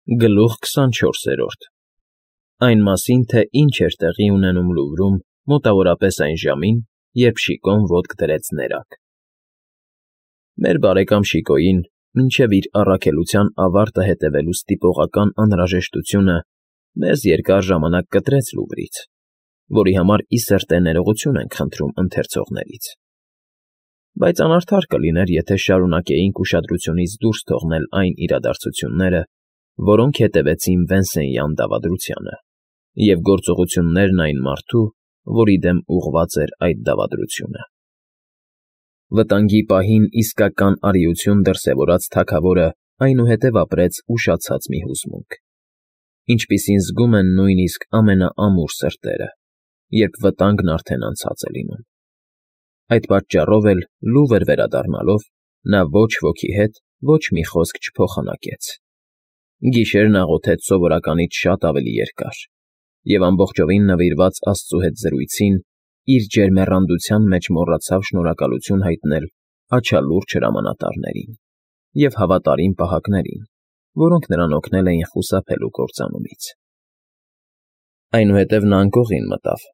Գլուխ 24 Այն մասին, թե ինչ էր տեղի ունենում Լուվրում մոտավորապես այն ժամին, երբ Շիկոն ոտք դրեց ներակ։ Մեր բարեկամ Շիկոյին, մինչև իր առաքելության ավարտը հետևելու ստիպողական անհրաժեշտությունը, մեզ երկար ժամանակ կտրեց Լուվրից, որի համար ի սրտե ներողություն ենք խնդրում ընթերցողներից։ Բայց անարդար կլիներ, եթե շարունակեինք ուշադրությունից դուրս թողնել այն իրադարձությունները, որոնք հետևեցին Վենսենյան դավադրությանը, և գործողություններն այն մարդու, որի դեմ ուղղված էր այդ դավադրությունը։ Վտանգի պահին իսկական արիություն դրսևորած թագավորը այնուհետև ապրեց ուշացած մի հուզմունք, ինչպիսին զգում են նույնիսկ ամենաամուր սրտերը, երբ վտանգն արդեն անցած է լինում։ Այդ պատճառով էլ, Լուվր վերադառնալով, նա ոչ ոքի հետ ոչ մի խոսք չփոխանակեց։ Գիշերն աղոթեց սովորականից շատ ավելի երկար, և ամբողջովին նվիրված Աստծու հետ զրույցին, իր ջերմեռանդության մեջ մոռացավ շնորհակալություն հայտնել աչալուրջ հրամանատարներին և հավատարիմ պահակներին, որոնք նրան օգնել էին խուսափելու կործանումից։ Այնուհետև նա անկողին մտավ,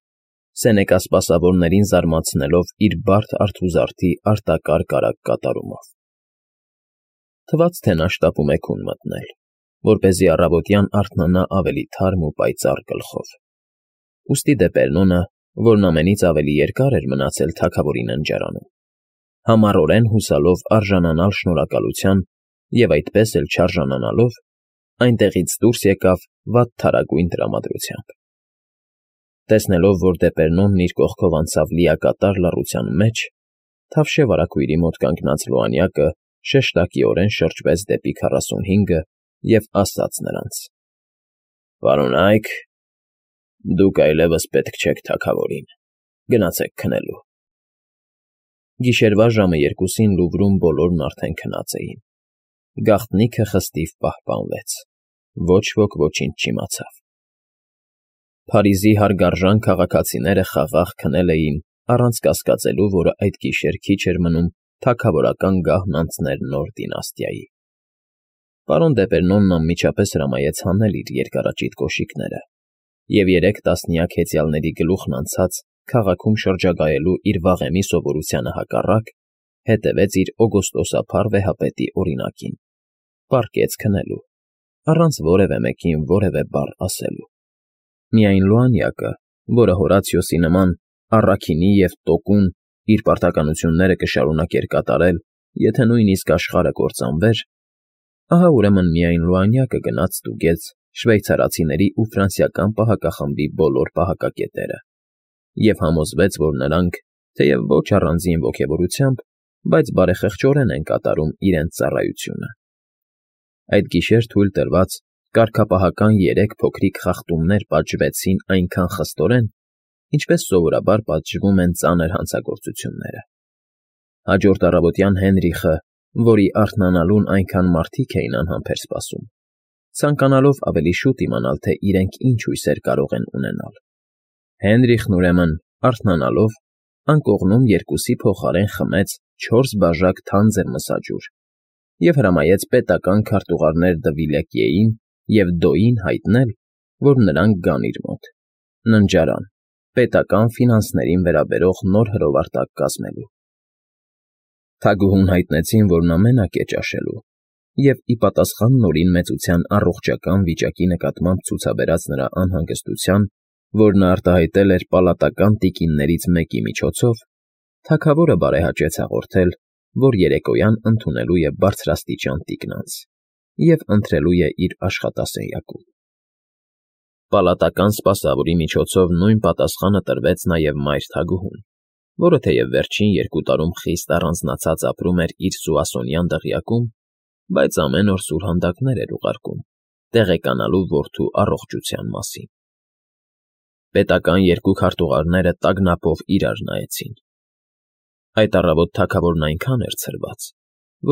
Սենեկա սպասավորներին զարմացնելով իր բարդ արթուզարդի արտակարգ արագ կատարումով։ Թվաց, թե նա շտապում է քուն մտնել, որպեսզի առավոտյան արթնանա ավելի թարմ ու պայծառ գլխով։ Ուստի Դեպերնոնը, որն ամենից ավելի երկար էր մնացել թագավորի ննջարանում, համառորեն հուսալով արժանանալ շնորհակալության և այդպես էլ չարժանանալով, այնտեղից դուրս եկավ վատթարագույն տրամադրությամբ։ Տեսնելով, որ Դեպերնոնն իր կողքով անցավ լիակատար լռության մեջ, թավշե վարագույրի մոտ կանգնած լուանյակը շեշտակիորեն շրջվեց դեպի 45-ը և ասաց նրանց. «Պարոնայք, դուք այլևս պետք չեք թագավորին, գնացեք քնելու»։ Գիշերվա ժամը 2-ին Լուվրում բոլորն արդեն քնած էին։ Գաղտնիքը խստիվ պահպանվեց, ոչ ոք ոչինչ չիմացավ։ Փարիզի հարգարժան քաղաքացիները խաղաղ քնել էին, առանց կասկածելու, որ այդ գիշեր քիչ էր մնում թագավորական գահն անցներ նոր դինաստիայի։ Պարոն Դեպերնոնն անմիջապես հրամայեց հանել իր երկարաճիտ կոշիկները և 3 տասնյակ հեծյալների գլուխն անցած քաղաքում շրջագայելու իր վաղեմի սովորությանը հակառակ, հետևեց իր օգոստոսափառ վեհապետի օրինակին, պառկեց քնելու, առանց որևէ մեկին որևէ բառ ասելու։ Միայն Լուանյակը, որը Հորացիոսի նման առաքինի և տոկուն իր պարտականությունները կշարունակեր կատարել, եթե նույնիսկ աշխարհը կործանվեր, ահա ուրեմն միայն Լուանյակը գնաց ստուգեց շվեյցարացիների ու ֆրանսիական պահակախմբի բոլոր պահակակետերը և համոզվեց, որ նրանք, թեև ոչ առանձին ոգևորությամբ, բայց բարեխղճորեն են կատարում իրենց ծառայությունը։ Այդ գիշեր թույլ տրված կարգապահական 3 փոքրիկ խախտումներ պատժվեցին այնքան խստորեն, ինչպես սովորաբար պատժվում են ծանր հանցագործությունները։ Հաջորդ առավոտյան Հենրիխը, որի արթնանալուն այնքան մարդիկ էին անհամբեր սպասում, ցանկանալով ավելի շուտ իմանալ, թե իրենք ինչ հույսեր կարող են ունենալ, Հենրիխն ուրեմն, արթնանալով, անկողնում 2-ի փոխարեն խմեց 4 բաժակ թանձր մսաջուր և հրամայեց պետական քարտուղարներ Դվիլեկիեին և Դոյին հայտնել, որ նրանք գան իր մոտ, ննջարան, պետական ֆինանսներին վերաբերող նոր հրովարտակ կազմելու։ Թագուհուն հայտնեցին, որ նա մենակ է ճաշելու, և ի պատասխան Նորին մեծության առողջական վիճակի նկատմամբ ցուցաբերած նրա անհանգստության, որ նա արտահայտել էր պալատական տիկիններից մեկի միջոցով, թագավորը բարեհաճեց հաղորդել, որ երեկոյան ընդունելու է բարձրաստիճան տիկնանց և ընթրելու է իր աշխատասենյակում։ Պալատական սպասավորի միջոցով նույն պատասխանը տրվեց նաև մայր թագուհուն, որը թեև վերջին 2 տարում խիստ առանձնացած ապրում էր իր սուասոնյան դղյակում, բայց ամեն օր սուրհանդակներ էր ուղարկում, տեղեկանալու որդու առողջության մասին։ Պետական 2 քարտուղարները տագնապով իրար նայեցին։ Այդ առավոտ թագավորն այնքան էր ցրված,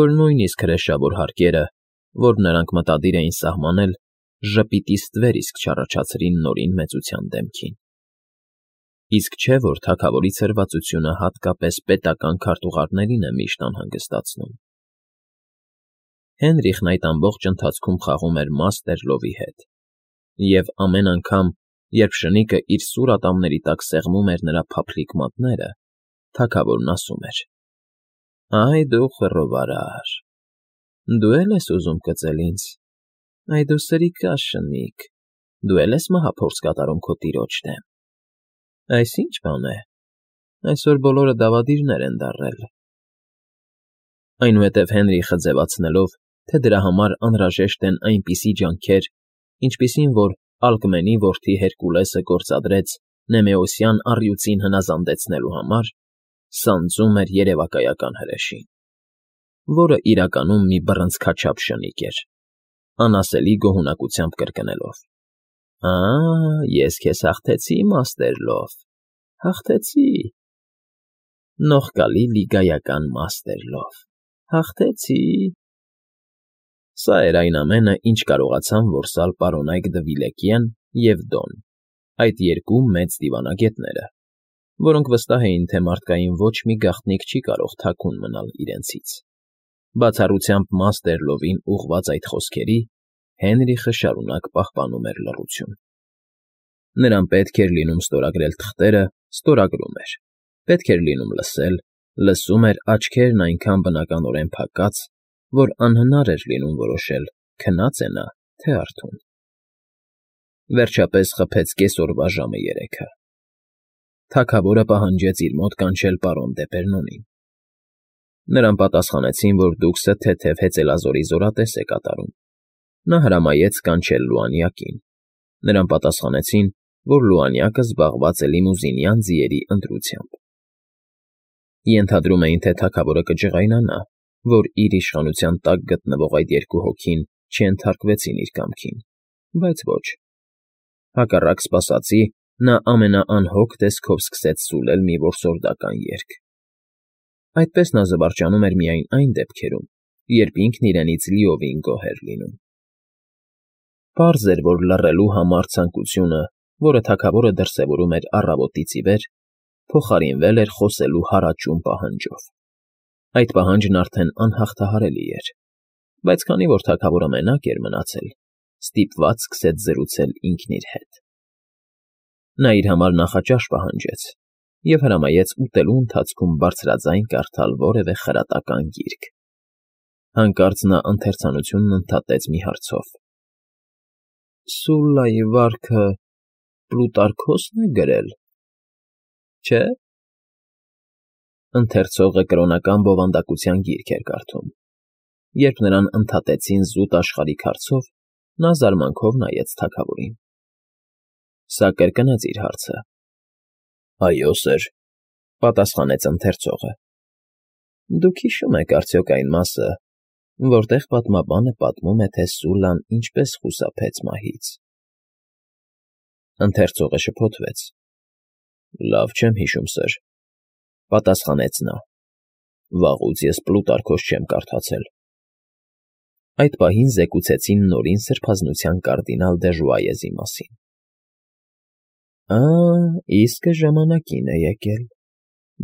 որ նույնիսկ հրեշավոր հարկերը, որ նրանք մտադիր էին սահմանել, ժպիտի ստվեր իսկ չառաջացրին Նորին մեծության դեմքին։ Իսկ չէ՞ որ թագավորի ցրվածությունը հատկապես պետական քարտուղարներին է միշտ անհանգստացնում։ Հենրիխն այդ ամբողջ ընթացքում խաղում էր Մաստեր Լովի հետ, և ամեն անգամ, երբ շնիկը իր սուր ատամների տակ սեղմում էր նրա փափլիկ մատները, թագավորն ասում էր. «Այ դու խռովարար, դու էլ ես ուզում կծել ինձ, այ դու սրիկա շնիկ, դու էլ ես մահափորձ կատարում քո տիրոջ դեմ, այս ի՞նչ բան է, այսօր բոլորը դավադիրներ են դառել»։ Այնուհետև Հենրիխը ձևացնելով, թե դրա համար անհրաժեշտ են այնպիսի ջանքեր, ինչպիսին որ Ալկմենի որդի Հերկուլեսը գործադրեց Նեմեոսյան առյուծին հնազանդեցնելու համար, սանձում էր երևակայական հրեշին, որը իրականում մի բռնցքաչափ շնիկ էր, անասելի գոհունակությամբ կրկնելով. Ես քեզ հաղթեցի, Մաստեր Լով, հաղթեցի, նողկալի լիգայական Մաստեր Լով, հաղթեցի։ Սա էր այն ամենը, ինչ կարողացան որսալ պարոնայք Դվիլեկիեն և Դոն, այդ երկու մեծ դիվանագետները, որոնք վստահ էին, թե մարդկային ոչ մի գաղտնիք չի կարող թաքուն մնալ իրենցից։ Բացառությամբ Մաստեր Լովին ուղղված այդ խոսքերի, Հենրիխը շարունակ պահպանում էր լռություն։ Նրան պետք էր լինում ստորագրել թղթերը, ստորագրում էր, պետք էր լինում լսել, լսում էր աչքերն այնքան բնականորեն փակած, որ անհնար էր լինում որոշել՝ քնած է նա, թե արթուն։ Վերջապես խփեց կեսօրվա ժամը 3-ը։ Թագավորը պահանջեց իր մոտ կանչել պարոն Դեպերնոնին։ Նրան պատասխանեցին, որ դուքսը թեթև հեծելազորի զորատես է կատարում։ Նա հրամայեց կանչել Լուանյակին։ Նրան պատասխանեցին, որ Լուանյակը զբաղված է լիմուզինյան ձիերի ընտրությամբ։ Ենթադրում էին, թե թագավորը կջղայնանա, որ իր իշխանության տակ գտնվող այդ երկու հոգին չենթարկվեցին իր կամքին, բայց ոչ։ Հակառակ սպասածի, նա ամենաանհոգ տեսքով սկսեց սուլել մի որսորդական երգ։ Այդպես նա զվարճանում էր միայն այն դեպքերում, երբ ինքն իրենից լիովին գոհ էր լինում։ Պարզ էր, որ լռելու համառ ցանկությունը, որը թագավորը դրսևորում էր առավոտից ի վեր, փոխարինվել էր խոսելու հարաճուն պահանջով։ Այդ պահանջն արդեն անհաղթահարելի էր, բայց քանի որ թագավորը մենակ էր մնացել, ստիպված սկսեց զրուցել ինքն իր հետ։ Նա իր համար նախաճաշ պահանջեց և հրամայեց ուտելու ընթացքում բարձրաձայն կարդալ որևէ խրատական գիրք։ Հանկարծ նա ընթերցանությունն ընդհատեց մի հարցով. «Սուլլայի վարքը Պլուտարքոսն է գրել, չէ՞»։ Ընթերցողը կրոնական բովանդակության գիրք էր կարդում։ Երբ նրան ընդհատեցին զուտ աշխարհիկ հարցով, նա զարմանքով նայեց թագավորին։ Սա կրկնեց իր հարցը։ «Այո, սըր», պատասխանեց ընթերցողը։ «Դուք հիշում եք արդյոք այն մասը, որտեղ պատմաբանը պատմում է, թե Սուլլան ինչպես խուսափեց մահից»։ Ընթերցողը շփոթվեց։ «Լավ չեմ հիշում, սըր», պատասխանեց նա։ «Վաղուց ես Պլուտարքոս չեմ կարդացել»։ Այդ պահին զեկուցեցին նորին սրբազնության կարդինալ դե Ժուայեզի մասին։ Իսկը ժամանակին է եկել,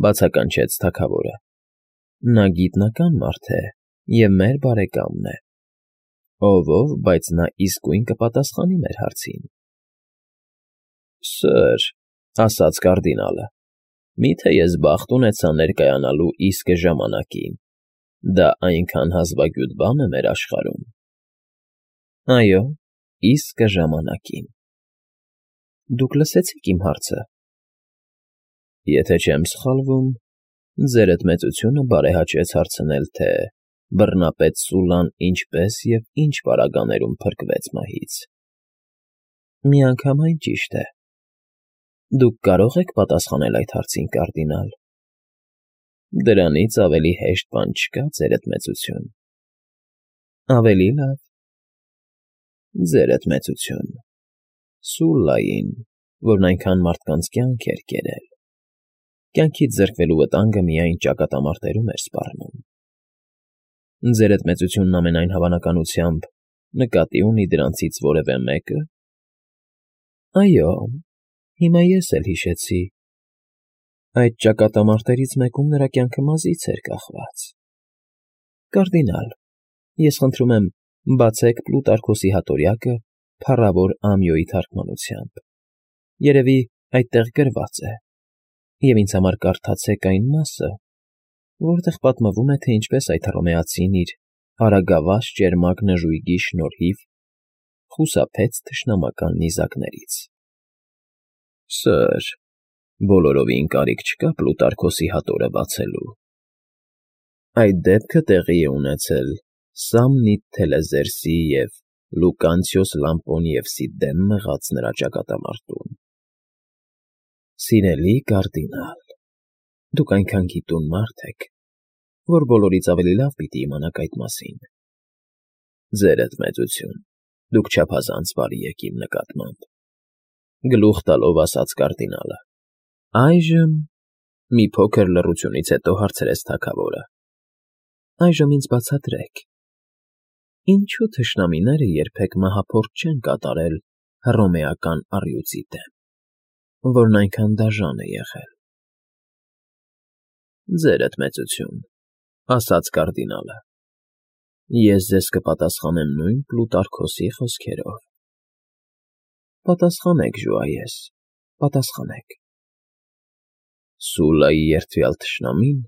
բացականչեց թագավորը։ Նա գիտնական մարդ է և մեր բարեկամն է։ Ով, բայց նա իսկույն կպատասխանի մեր հարցին։ Սըր, ասաց կարդինալը, միթե ես բախտ ունեցա ներկայանալու իսկը ժամանակին, դա այնքան հազվագյուտ բան է մեր աշխարհում։ Այո, իսկը ժամանակին։ Դուք լսեցիք իմ հարցը։ Եթե չեմ սխալվում, ձերդ մեծությունը բարեհաճեց հարցնել, թե բռնապետ Սուլլան ինչպես և ինչ պարագաներում փրկվեց մահից։ Միանգամայն ճիշտ է։ Դուք կարող եք պատասխանել այդ հարցին, կարդինալ։ Դրանից ավելի հեշտ բան չկա, ձերդ մեծություն։ Ավելի լավ։ Ձերդ մեծություն, Սուլլային, որն այնքան մարդկանց կյանք էր կերել, կյանքից զրկվելու վտանգը միայն ճակատամարտերում էր սպառնում։ Ձերդ մեծությունն ամենայն հավանականությամբ նկատի ունի դրանցից որևէ մեկը։ Այո, հիմա ես էլ հիշեցի։ Այդ ճակատամարտերից մեկում նրա կյանքը մազից էր կախված։ Կարդինալ, Ես խնդրում եմ, բացեք Պլուտարքոսի հատորյակը փառավոր Ամիոյի թարգմանությամբ։ Երևի այդտեղ գրված է, և ինձ համար կարդացեք այն մասը, որտեղ պատմվում է, թե ինչպես այդ հռոմեացին իր արագավազ ճերմակ նժույգի շնորհիվ խուսափեց թշնամական նիզակներից։ Սըր, բոլորովին կարիք չկա Պլուտարքոսի հատորը բացելու։ Այդ դեպքը տեղի է ունեցել Սամնիտ Թելեզերսի և Լուկանցիոս Լամպոնիևսի դեմ մղած նրա ճակատամարտում։ Սիրելի կարդինալ, դուք այնքան գիտուն մարդ եք, որ բոլորից ավելի լավ պիտի իմանաք այդ մասին։ Ձերդ մեծություն, դուք չափազանց բարի եք իմ նկատմամբ, գլուխ տալով ասաց կարդինալը։ Այժմ, մի փոքր լռությունից հետո հարցրեց թագավորը, այժմ ինձ բացատրեք, ինչու թշնամիները երբեք մահափորձ չեն կատարել հռոմեական առյուծի դեմ, որն այնքան դաժան է եղել։ Ձերդ մեծություն, ասաց կարդինալը, ես ձեզ կպատասխանեմ նույն Պլուտարքոսի խոսքերով։ Պատասխանեք, ժուայես, պատասխանեք։ Սուլայի երդվյալ թշնամին,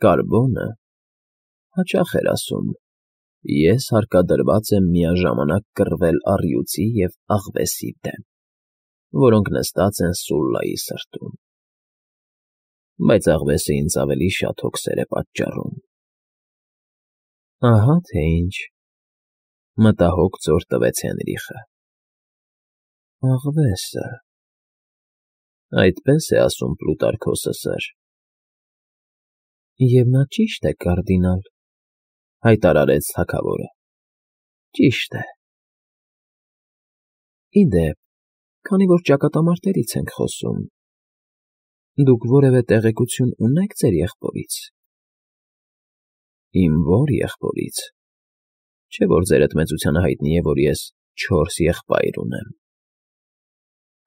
Կարբոնը, հաճախ էր ասում. ես հարկադրված եմ միաժամանակ կռվել առյուծի և աղվեսի դեմ, որոնք նստած են Սուլայի սրտում։ Բայց աղվեսը ինձ ավելի շատ հոգսեր է պատճառում։ Ահա թե ինչ, մտահոգ ծոր տվեց Հենրիխը։ Աղվեսը… Այդպես է ասում Պլուտարքոսը, սըր։ Եվ նա ճիշտ է, կարդինալ, հայտարարեց թագավորը։ Ճիշտ է։ Ի դեպ, քանի որ ճակատամարտերից ենք խոսում, դուք որևէ տեղեկություն ունե՞ք ձեր եղբորից։ Իմ ո՞ր եղբորից։ Չէ՞ որ ձերդ մեծությանը հայտնի է, որ ես 4 եղբայր ունեմ։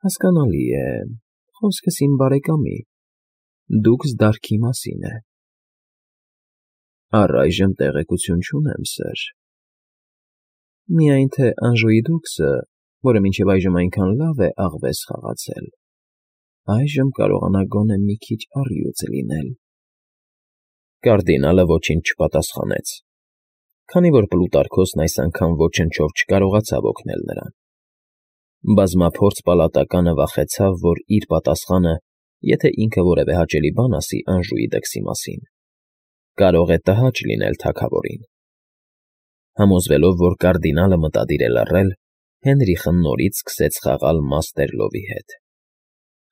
Հասկանալի է, խոսքս իմ բարեկամի, դուքս դարքի մասին է։ Առայժմ տեղեկություն չունեմ, սըր։ Միայն թե Անժուի դուքսը, որը մինչև այժմ այնքան լավ է աղվես խաղացել, այժմ կարողանա գոնե մի քիչ առյուծ լինել։ Կարդինալը ոչինչ չպատասխանեց, քանի որ Պլուտարքոսն այս անգամ ոչնչով չկարողացավ օգնել նրան։ Բազմափորձ պալատականը վախեցավ, որ իր պատասխանը, եթե ինքը որևէ հաճելի բան ասի Անժուի դքսի մասին, կարող է տհաճ լինել թագավորին։ Համոզվելով, որ կարդինալը մտադիր է լռել, Հենրիխը նորից սկսեց խաղալ Մաստերլովի հետ։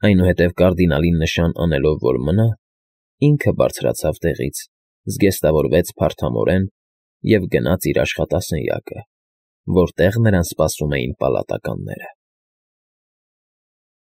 Այնուհետև կարդինալին նշան անելով, որ մնա, ինքը բարձրացավ տեղից, զգեստավորվեց փարթամորեն և գնաց իր աշխատասենյակը, որտեղ նրան սպասում էին պալատականները։